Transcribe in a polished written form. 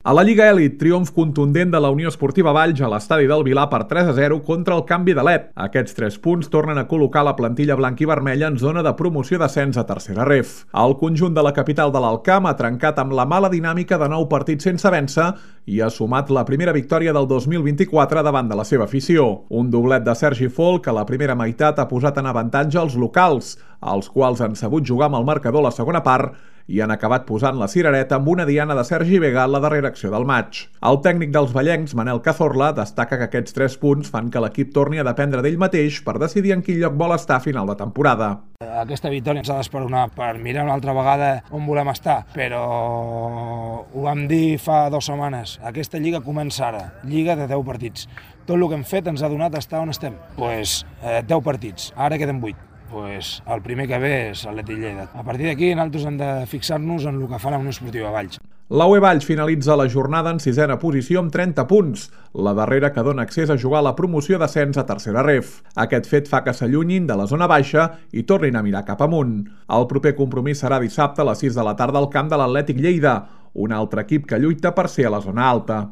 A la Lliga Elit, triomf contundent de la Unió Esportiva Valls a l'estadi del Vilar per 3-0 contra el Canvi de l'Ep. Aquests 3 punts tornen a col·locar la plantilla blanc i vermella en zona de promoció d'ascens a tercera ref. El conjunt de la capital de l'Alcamp ha trencat amb la mala dinàmica de 9 partits sense vèncer i ha sumat la primera victòria del 2024 davant de la seva afició. Un doblet de Sergi Folk que a la primera meitat ha posat en avantatge els locals, els quals han sabut jugar amb el marcador a la segona part i han acabat posant la cirereta amb una diana de Sergi Vega a la darrera acció del maig. El tècnic dels vallencs, Manel Cazorla, destaca que aquests 3 punts fan que l'equip torni a dependre d'ell mateix per decidir en quin lloc vol estar a final de temporada. Aquesta victòria ens ha d'esperonar per mirar una altra vegada on volem estar, però ho vam dir fa 2 setmanes. Aquesta lliga comença ara, lliga de 10 partits. Tot el que hem fet ens ha donat estar on estem. 10 partits, ara queden 8. El primer que ve és l'Atlètic Lleida. A partir d'aquí nosaltres hem de fixar-nos en el que fa la Unió Esportiva Valls. La UE Valls finalitza la jornada en 6ª posició amb 30 punts, la darrera que dona accés a jugar a la promoció d'ascens a tercera ref. Aquest fet fa que s'allunyin de la zona baixa i tornin a mirar cap amunt. El proper compromís serà dissabte a les 6 de la tarda al camp de l'Atlètic Lleida, un altre equip que lluita per ser a la zona alta.